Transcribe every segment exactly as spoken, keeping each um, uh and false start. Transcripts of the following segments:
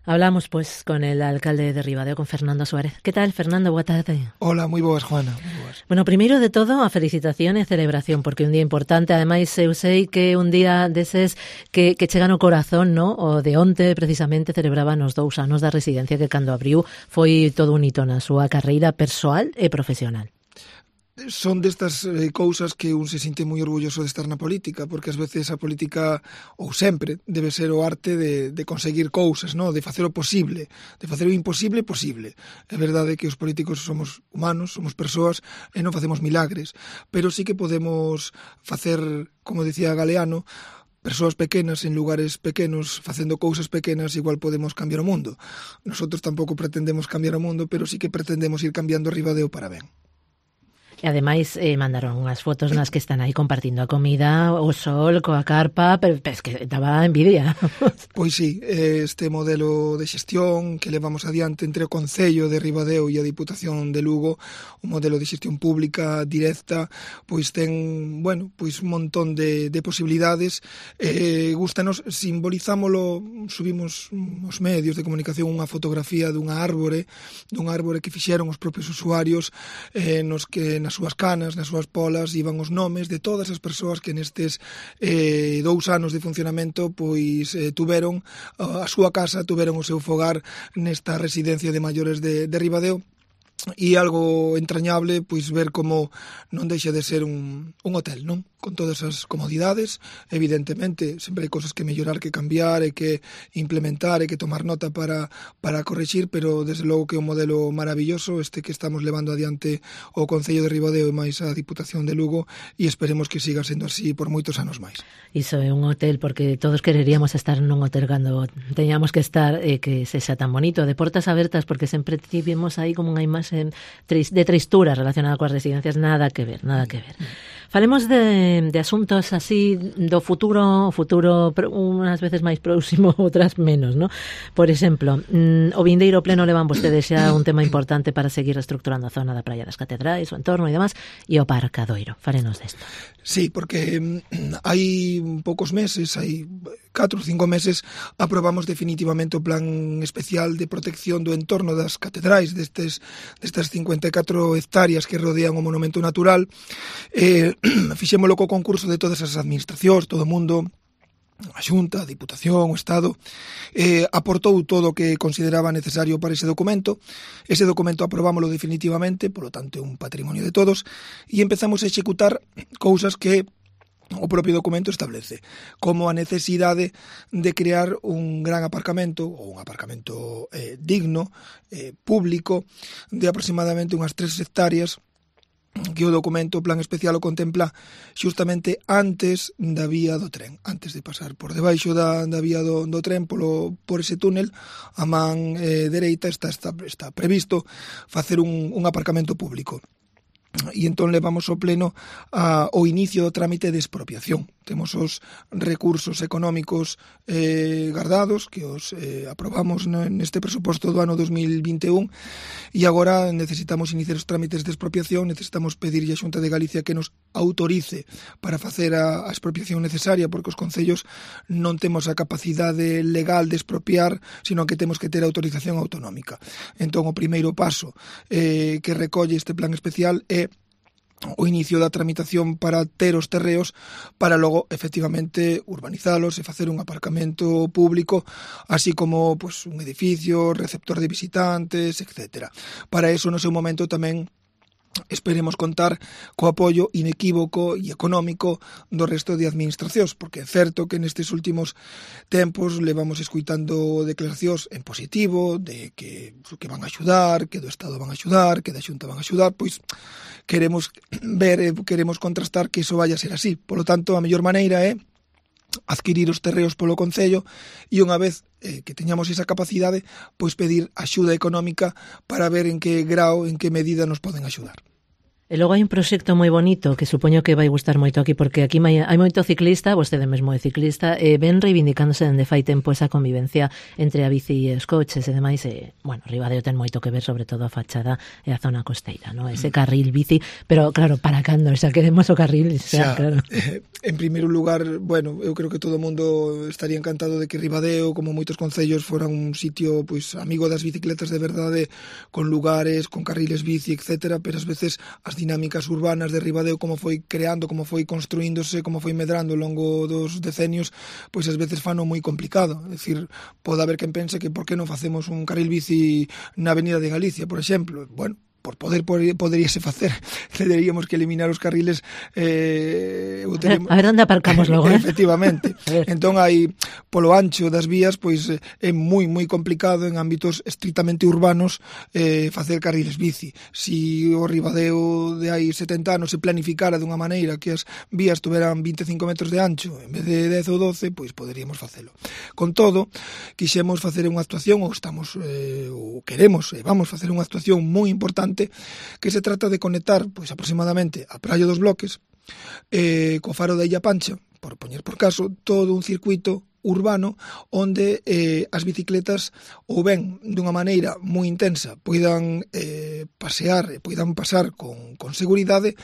Hablamos, pues, con el alcalde de Ribadeo, con Fernando Suárez. Que tal, Fernando? Boa tarde. Hola, moi boas, Juana. Moi boas. Bueno, primeiro de todo, a felicitación e a celebración, porque é un día importante. Ademais, eu sei que un día deses que, que chega no corazón, no? O de onte, precisamente, celebraban os dous anos da residencia que, cando abriu, foi todo un hito na súa carreira persoal e profesional. Son destas eh, cousas que un se sinte moi orgulloso de estar na política, porque ás veces a política, ou sempre, debe ser o arte de, de conseguir cousas, no? De facer o posible, de facer o imposible posible. É verdade que os políticos somos humanos, somos persoas e non facemos milagres, pero sí que podemos facer, como decía Galeano, persoas pequenas en lugares pequenos, facendo cousas pequenas, igual podemos cambiar o mundo. Nosotros tampouco pretendemos cambiar o mundo, pero sí que pretendemos ir cambiando Ribadeo para ben. E ademais eh, mandaron unhas fotos nas que están aí compartindo a comida, o sol, coa carpa, pero, pero es que daba envidia. Pois sí, este modelo de xestión que levamos adiante entre o Concello de Ribadeo e a Diputación de Lugo, un modelo de xestión pública directa, pois ten, bueno, pois un montón de, de posibilidades. Eh, gustanos, simbolizámolo, subimos os medios de comunicación unha fotografía dunha árbore, dunha árbore que fixeron os propios usuarios, eh, nos que nas súas canas, nas súas polas, iban os nomes de todas as persoas que nestes eh, dous anos de funcionamento pois eh, tuveron a súa casa, tuveron o seu fogar nesta residencia de maiores de, de Ribadeo. E algo entrañable, pois ver como non deixa de ser un, un hotel, non? Con todas as comodidades, evidentemente, sempre hai cosas que mellorar, que cambiar, e que implementar, e que tomar nota para, para corrixir, pero desde logo que é un modelo maravilloso este que estamos levando adiante o Concello de Ribadeo e máis a Diputación de Lugo, e esperemos que siga sendo así por moitos anos máis. Iso é un hotel, porque todos quereríamos estar nun hotel cando teñamos que estar, e eh, que sexa tan bonito, de portas abertas, porque sempre tivemos aí como unha imaxe de tristura relacionada coas residencias. Nada que ver, nada que ver. Falemos de, de asuntos así do futuro, o futuro unhas veces máis próximo, outras menos, ¿no? Por exemplo, o vindeiro pleno levan vostedes xa un tema importante para seguir reestructurando a zona da Praia das Catedrais, o entorno e demás, e o Parcadoiro. Fálenos desto. Sí, porque hai poucos meses, hai catro ou cinco meses, aprobamos definitivamente o plan especial de protección do entorno das catedrais, destes, destas cincuenta e catro hectáreas que rodean o monumento natural. Eh, fixémolo co concurso de todas as administracións, todo o mundo, a Xunta, a Diputación, o Estado, eh, aportou todo o que consideraba necesario para ese documento. Ese documento aprobámoslo definitivamente, polo tanto é un patrimonio de todos, e empezamos a executar cousas que o propio documento establece, como a necesidade de crear un gran aparcamento, ou un aparcamento eh, digno, eh, público, de aproximadamente unhas tres hectáreas, que o documento, o plan especial, o contempla xustamente antes da vía do tren, antes de pasar por debaixo da, da vía do, do tren, polo, por ese túnel, a man eh, dereita está, está, está previsto facer un, un aparcamento público. E entón levamos ao pleno a, o inicio do trámite de expropiación. Temos os recursos económicos eh, guardados, que os eh, aprobamos neste presuposto do ano dos mil vinte e un, e agora necesitamos iniciar os trámites de expropiación, necesitamos pedirlle a Xunta de Galicia que nos autorice para facer a, a expropiación necesaria, porque os concellos non temos a capacidade legal de expropiar, sino que temos que ter autorización autonómica. Entón, o primeiro paso eh, que recolle este plan especial é o inicio da tramitación para ter os terreos para logo, efectivamente, urbanizalos e facer un aparcamento público, así como pues, un edificio, receptor de visitantes, etcétera. Para eso, no seu momento, tamén esperemos contar co apoio inequívoco e económico do resto de administracións, porque é certo que nestes últimos tempos levamos escuitando declaracións en positivo de que, que van a axudar, que do Estado van a axudar, que da Xunta van a axudar, pois queremos ver, queremos contrastar que iso vaya a ser así. Polo tanto, a mellor maneira é adquirir os terreos polo Concello e unha vez eh, que teñamos esa capacidade, pois pedir axuda económica para ver en que grao, en que medida nos poden axudar. E logo hai un proxecto moi bonito que supoño que vai gustar moito aquí, porque aquí hai, hai moito ciclista, vostede mesmo é ciclista, e ven reivindicándose dende fai tempo esa convivencia entre a bici e os coches e demais, e, bueno, Ribadeo ten moito que ver, sobre todo a fachada e a zona costeira, ¿no? Ese carril bici, pero claro, para cando, xa queremos o carril, xa, xa, claro. Eh, en primeiro lugar, bueno, eu creo que todo o mundo estaría encantado de que Ribadeo, como moitos concellos, fora un sitio, pois, amigo das bicicletas de verdade, con lugares, con carriles bici, etcétera, pero ás veces as dinámicas urbanas de Ribadeo, como foi creando, como foi construíndose, como foi medrando ao longo dos decenios, pois ás veces fano moi complicado. É dicir, pode haber quen pense que por que non facemos un carril bici na Avenida de Galicia, por exemplo. Bueno, por poder poderíase facer, teríamos que eliminar os carriles eh, a, ver, a ver onde aparcamos logo, eh? Efectivamente. Entón hai polo ancho das vías, pois é moi moi complicado en ámbitos estrictamente urbanos eh, facer carriles bici. Si o Ribadeo de hai setenta anos se planificara dunha maneira que as vías tuveran vinte e cinco metros de ancho en vez de dez ou doce, pois poderíamos facelo. Con todo, quixemos facer unha actuación, ou estamos eh, ou queremos, e vamos facer unha actuación moi importante que se trata de conectar pois aproximadamente a Praia dos Bloques eh, co faro da Illa Pancha, por poñer por caso, todo un circuito urbano onde eh, as bicicletas ou ben dunha maneira moi intensa poidan eh, pasear e poidan pasar con, con seguridade,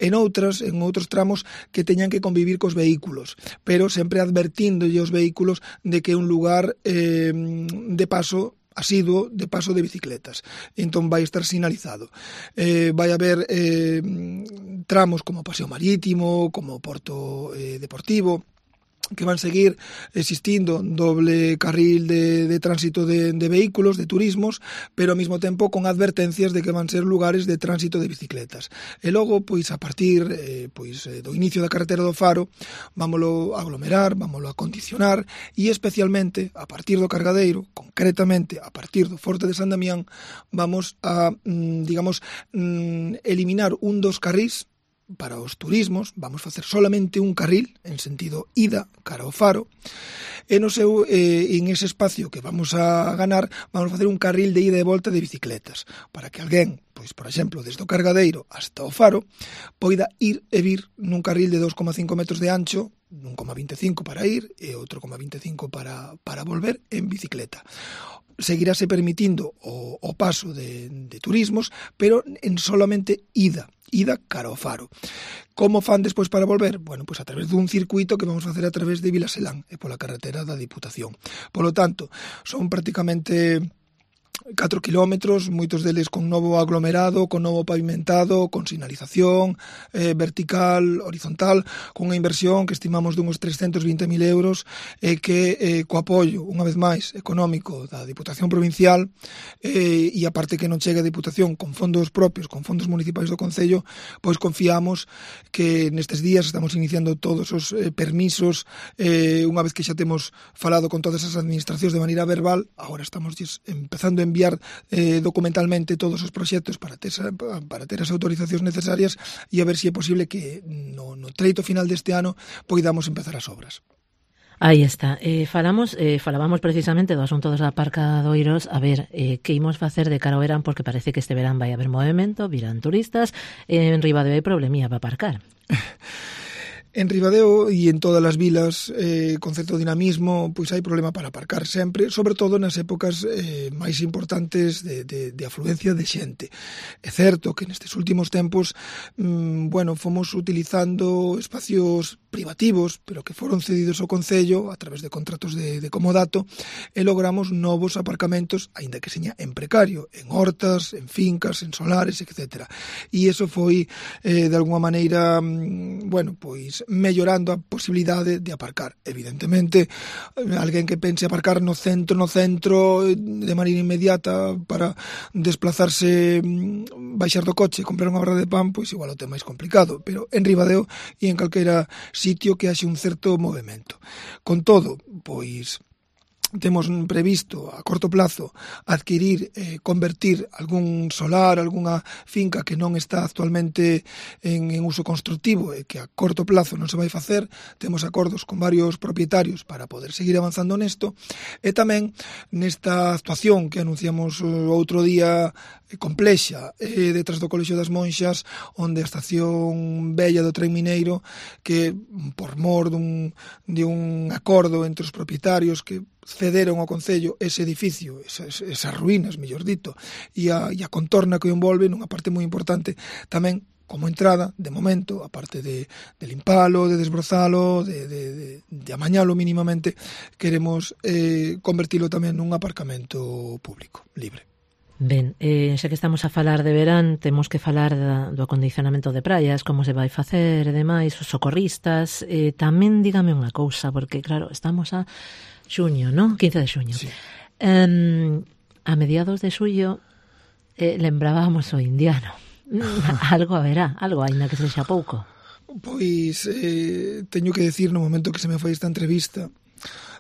en outras, en outros tramos que teñan que convivir cos vehículos, pero sempre advertíndolle aos vehículos de que é un lugar eh, de paso asiduo de paso de bicicletas. Entón vai estar sinalizado. Eh, vai haber eh, tramos como Paseo Marítimo, como Porto eh, Deportivo, que van seguir existindo doble carril de, de tránsito de, de vehículos, de turismos, pero ao mesmo tempo con advertencias de que van ser lugares de tránsito de bicicletas. E logo, pois, a partir eh, pois, do inicio da carretera do Faro, vámolo a aglomerar, vámolo a condicionar, e especialmente, a partir do Cargadeiro, concretamente, a partir do Forte de San Damián, vamos a, digamos, eliminar un dos carrís para os turismos. Vamos facer solamente un carril en sentido ida cara ao Faro, e no seu eh, en ese espacio que vamos a ganar vamos a facer un carril de ida e volta de bicicletas para que alguén, pois por exemplo, desde o Cargadeiro hasta o Faro poida ir e vir nun carril de dos coma cinco metros de ancho, un coma vinte e cinco para ir e outro coma vinte e cinco para, para volver en bicicleta. Seguirase permitindo o, o paso de, de turismos, pero en solamente ida. ida cara ao Faro. Como fan despois para volver? Bueno, pois a través dun circuito que vamos a facer a través de Vilaselán e pola carretera da Diputación. Polo tanto, son prácticamente catro kilómetros, moitos deles con novo aglomerado, con novo pavimentado, con sinalización eh, vertical, horizontal, con unha inversión que estimamos dunhos trescentos vinte mil euros e eh, que eh, co apoio, unha vez máis, económico da Diputación Provincial eh, e aparte que non chega a Diputación con fondos propios, con fondos municipais do Concello, pois confiamos que nestes días estamos iniciando todos os eh, permisos, eh, unha vez que xa temos falado con todas as administracións de maneira verbal, agora estamos empezando a enviar eh, documentalmente todos os proxectos para ter, para ter as autorizacións necesarias e a ver se si é posible que no, no treito final deste ano poidamos empezar as obras. Aí está. Eh, falamos, eh, falábamos precisamente do asunto dos aparcadoiros. A ver, eh, que imos facer de cara ao verán, porque parece que este verán vai haber movimento, virán turistas, eh, en Ribadeo hai problemía para aparcar. En Ribadeo e en todas as vilas eh, con certo dinamismo pois hai problema para aparcar sempre, sobre todo nas épocas eh, máis importantes de, de, de afluencia de xente. É certo que nestes últimos tempos mmm, bueno, fomos utilizando espacios privativos, pero que foron cedidos ao Concello a través de contratos de, de comodato, e logramos novos aparcamentos, aínda que seña en precario, en hortas, en fincas, en solares, etcétera. E iso foi eh, de alguma maneira mmm, bueno, pois mellorando a posibilidade de aparcar. Evidentemente, alguén que pense aparcar no centro, no centro, de maneira inmediata para desplazarse, baixar do coche e comprar unha barra de pan, pois igual o ten máis complicado, pero en Ribadeo e en calquera sitio que haxe un certo movimento. Con todo, pois temos previsto a corto plazo adquirir, eh, convertir algún solar, algunha finca que non está actualmente en, en uso constructivo e que a corto plazo non se vai facer. Temos acordos con varios propietarios para poder seguir avanzando nesto, e tamén nesta actuación que anunciamos outro día complexa eh, detrás do Colexio das Monxas, onde a estación vella do tren mineiro, que por mor dun, de un acordo entre os propietarios que cederon ao Concello ese edificio, esas, esas ruínas, mellor dito, e a, e a contorna que o envolve, nunha parte moi importante tamén como entrada, de momento, a parte de, de limpalo, de desbrozalo, de, de, de, de amañalo mínimamente, queremos eh, convertilo tamén nun aparcamento público, libre. Ben, eh, xa que estamos a falar de verán, temos que falar da, do acondicionamento de praias, como se vai facer e demais, os socorristas. Eh, tamén dígame unha cousa, porque claro, estamos a xuño, ¿no? quince de xuño. Sí. Um, a mediados de xullo eh, lembrábamos o indiano. Algo haberá, algo, aínda que sexa pouco. Pois eh, teño que decir no momento que se me foi esta entrevista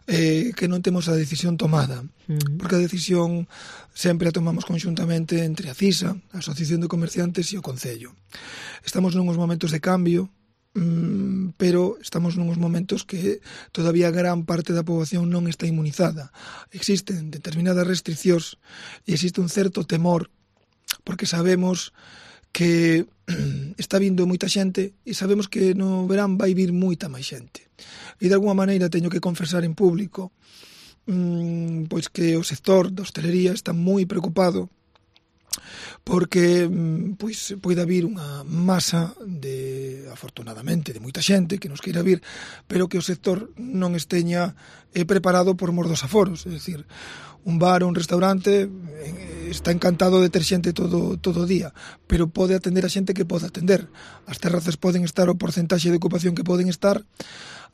eh, que non temos a decisión tomada, uh-huh. porque a decisión sempre a tomamos conxuntamente entre a CISA, a Asociación de Comerciantes, e o Concello. Estamos nuns momentos de cambio, mm, pero estamos nuns momentos que todavía gran parte da poboación non está inmunizada. Existen determinadas restriccións e existe un certo temor, porque sabemos que está vindo moita xente e sabemos que no verán vai vir moita máis xente. E de alguma maneira teño que confesar en público mmm, pois que o sector da hostelería está moi preocupado porque pois pode vir unha masa de, afortunadamente, de moita xente que nos queira vir, pero que o sector non esteña eh, preparado por mor dos aforos. É dicir, un bar ou un restaurante eh, está encantado de ter xente todo, todo o día, pero pode atender a xente que pode atender. As terrazas poden estar o porcentaxe de ocupación que poden estar,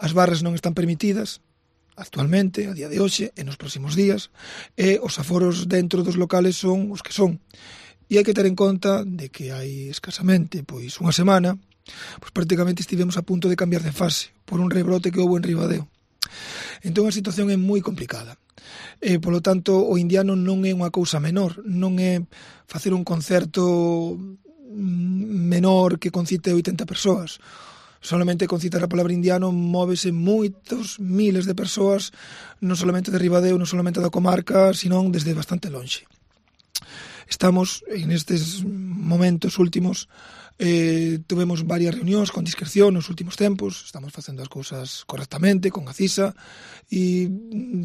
as barras non están permitidas actualmente, a día de hoxe, e nos próximos días, e os aforos dentro dos locales son os que son. E hai que ter en conta de que hai escasamente pois unha semana, pois prácticamente estivemos a punto de cambiar de fase por un rebrote que houve en Ribadeo. Entón a situación é moi complicada. E, polo tanto, o indiano non é unha cousa menor, non é facer un concerto menor que concite oitenta persoas. Solamente con citar a palabra indiano móvese moitos miles de persoas, non solamente de Ribadeo, non solamente da comarca, senón desde bastante lonxe. Estamos en estes momentos últimos, eh, tuvemos varias reunións con discreción nos últimos tempos, estamos facendo as cousas correctamente con a CISA e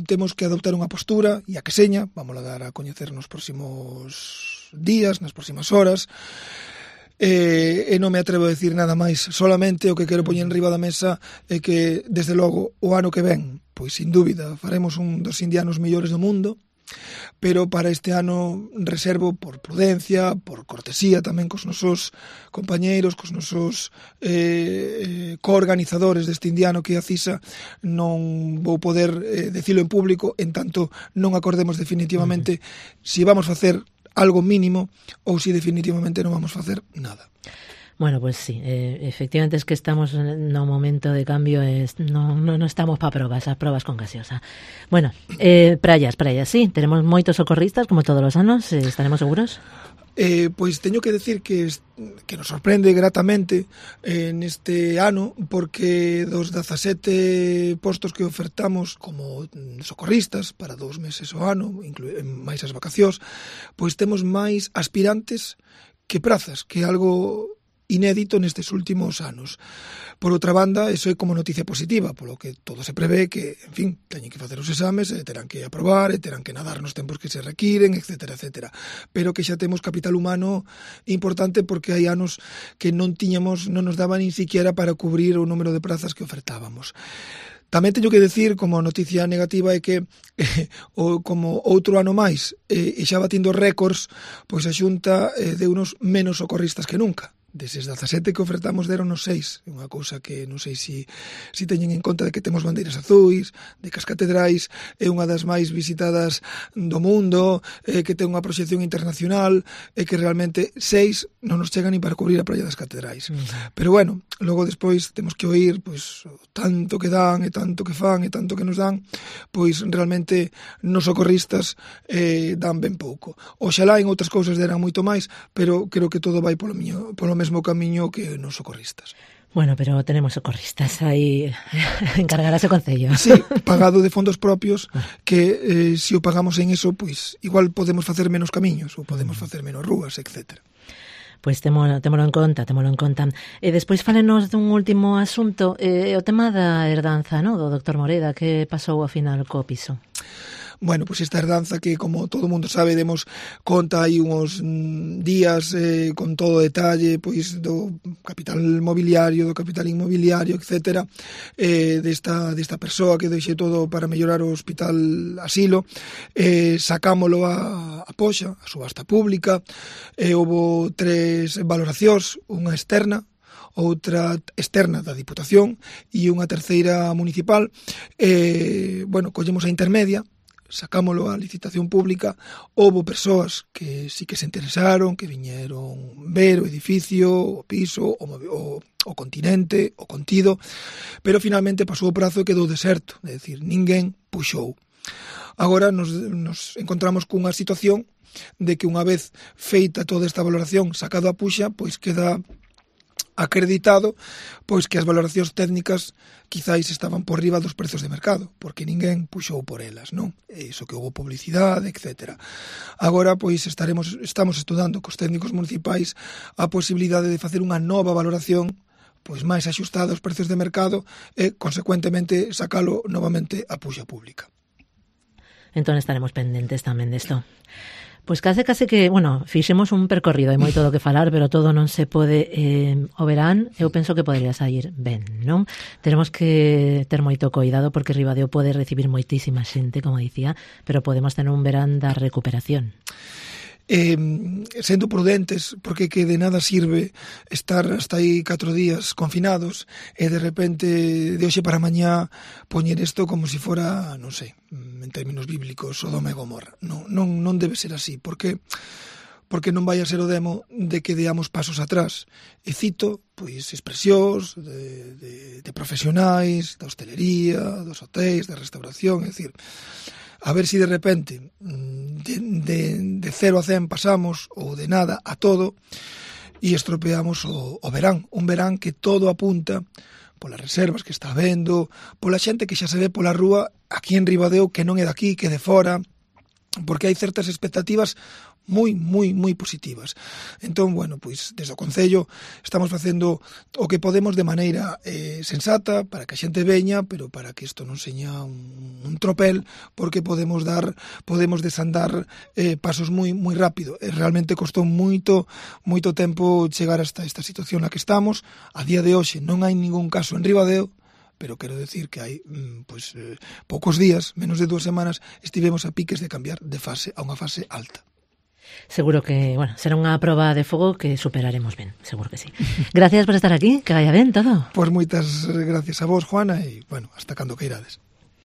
temos que adoptar unha postura e a que seña, vamos a dar a coñecer nos próximos días, nas próximas horas, e, e non me atrevo a decir nada máis, solamente o que quero poñer en riba da mesa é que desde logo o ano que ven, pois sin dúbida faremos un dos indianos mellores do mundo, pero para este ano reservo por prudencia, por cortesía tamén cos nosos compañeiros, cos nosos eh, coorganizadores deste indiano que é a CISA, non vou poder eh, decilo en público en tanto non acordemos definitivamente uh-huh. si vamos facer algo mínimo ou si definitivamente non vamos facer nada. Bueno, pues sí, eh, efectivamente es que estamos en un momento de cambio, es, no, no, no estamos para probas, a probas con gaseosa. Bueno, eh, praias, praias, sí, tenemos moitos socorristas, como todos os anos, eh, estaremos seguros? Eh, pois teño que decir que, que nos sorprende gratamente eh, neste ano, porque dos dezasete postos que ofertamos como socorristas para dous meses ao ano, inclu- máis as vacacións, pois temos máis aspirantes que prazas, que é algo inédito nestes últimos anos. Por outra banda, eso é como noticia positiva, polo que todo se prevé que, en fin, teñen que facer os exames, e terán que aprobar, e terán que nadar nos tempos que se requiren, etcétera, etcétera. Pero que xa temos capital humano importante porque hai anos que non tiñamos, non nos daba nin siquiera para cubrir o número de prazas que ofertábamos. Tamén teño que decir, como noticia negativa, é que eh, o, como outro ano máis, eh, e xa batindo récords, pois a Xunta eh, deu unos menos socorristas que nunca. Deses dezasete que ofertamos deron nos seis. É unha cousa que non sei se si, si teñen en conta de que temos bandeiras azuis, de que as catedrais é unha das máis visitadas do mundo, eh, que ten unha proxección internacional, e que realmente seis non nos chegan ni para cubrir a praia das catedrais. Uh-huh. Pero bueno, logo despois temos que oír pois, tanto que dan, e tanto que fan, e tanto que nos dan, pois realmente nos socorristas eh, dan ben pouco. Oxalá en outras cousas deran moito máis, pero creo que todo vai polo miño, polo mesmo camiño que nos socorristas. Bueno, pero tenemos socorristas aí, encargarase o Concello. Sí, pagado de fondos propios, que eh, se o pagamos en eso, pois igual podemos facer menos camiños, ou podemos facer menos rúas, etcétera. Pois témolo, témolo en conta, témolo en conta. E despois falenos dun último asunto, eh, o tema da herdanza, no, do doctor Moreda, que pasou ao final co piso. Bueno, pois esta herdanza que, como todo o mundo sabe, demos conta aí uns mm, días eh, con todo o detalle pois do capital mobiliario, do capital inmobiliario, etcétera, eh, desta, desta persoa que deixe todo para mellorar o hospital asilo, eh, sacámolo a, a poxa, a subasta pública, e eh, houve tres valoracións, unha externa, outra externa da Diputación e unha terceira municipal. Eh, bueno, collemos a intermedia, sacámolo a licitación pública, houve persoas que sí que se interesaron, que viñeron ver o edificio, o piso, o, o, o continente, o contido, pero finalmente pasou o prazo e quedou deserto, é dicir, ninguén puxou. Agora nos, nos encontramos cunha situación de que unha vez feita toda esta valoración, sacado a puxa, pois queda acreditado pois que as valoracións técnicas quizáis estaban por riba dos prezos de mercado, porque ninguén puxou por elas, non? E iso que houve publicidade, etcétera. Agora, pois, estaremos estamos estudando cos técnicos municipais a posibilidade de facer unha nova valoración pois máis axustada aos prezos de mercado e, consecuentemente, sacalo novamente a puxa pública. Entón estaremos pendentes tamén desto. Pois case, case que, bueno, fixemos un percorrido, hai moito do que falar, pero todo non se pode eh, o verán, eu penso que podría sair ben, non? Tenemos que ter moito cuidado porque Ribadeo pode recibir moitísima xente, como dicía, pero podemos tener un verán da recuperación. Eh, sendo prudentes, porque que de nada sirve estar hasta aí catro días confinados e de repente de hoxe para mañá poñer isto como se si fora, non sei, en términos bíblicos, Sodoma e Gomorra. Non, non, non debe ser así, porque porque non vai a ser o demo de que deamos pasos atrás. E cito, pois, expresións de, de, de profesionais, da hostelería, dos hotéis, da restauración, é dicir, a ver si de repente de, de, de cero a cen pasamos ou de nada a todo e estropeamos o, o verán. Un verán que todo apunta polas reservas que está habendo, pola xente que xa se ve pola rúa aquí en Ribadeo que non é daqui, que é de fora, porque hai certas expectativas moi, moi, moi positivas. Entón, bueno, pois, desde o Concello estamos facendo o que podemos de maneira eh, sensata para que a xente veña, pero para que isto non seña un, un tropel, porque podemos dar, podemos desandar eh, pasos moi, moi rápido. E realmente costou moito, moito tempo chegar hasta esta situación na que estamos. A día de hoxe non hai ningún caso en Ribadeo, pero quero decir que hai pois, eh, poucos días, menos de dúas semanas, estivemos a piques de cambiar de fase a unha fase alta. Seguro que, bueno, será unha proba de fogo que superaremos ben, seguro que sí. Gracias por estar aquí, que vaya ben todo. Pois moitas gracias a vos, Juana, e, bueno, hasta cando queirades.